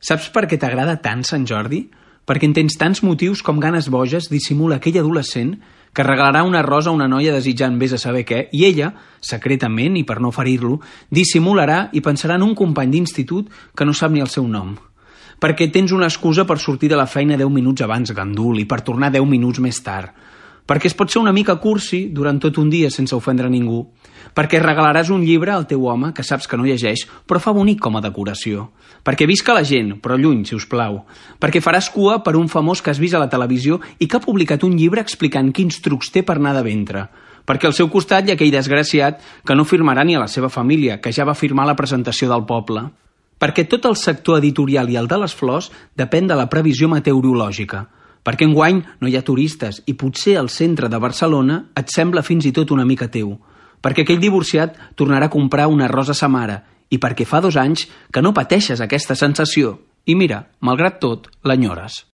Saps per què t'agrada tant Sant Jordi? Perquè en tens tants motius com ganes boges dissimula aquell adolescent que regalarà una rosa a una noia desitjant vés a saber què, i ella, secretament i per no ferir-lo, dissimularà i pensarà en un company d'institut que no sap ni el seu nom. Perquè tens una excusa per sortir de la feina 10 minuts abans, gandul, i per tornar 10 minuts més tard. Perquè es pot ser una mica cursi durant tot un dia sense ofendre ningú. Perquè regalaràs un llibre al teu home que saps que no llegeix, però fa bonic com a decoració. Perquè visca la gent, però lluny, si us plau. Perquè faràs cua per un famós que has vist a la televisió i que ha publicat un llibre explicant quins trucs té per anar de ventre. Perquè al seu costat hi ha aquell desgraciat que no firmarà ni a la seva família, que ja va firmar la presentació del poble. Perquè tot el sector editorial i el de les flors depèn de la previsió meteorològica. Perquè enguany no hi ha turistes i potser el centre de Barcelona et sembla fins i tot una mica teu. Perquè aquell divorciat tornarà a comprar una rosa a sa mare i perquè fa 2 anys que no pateixes aquesta sensació. I mira, malgrat tot, l'enyores.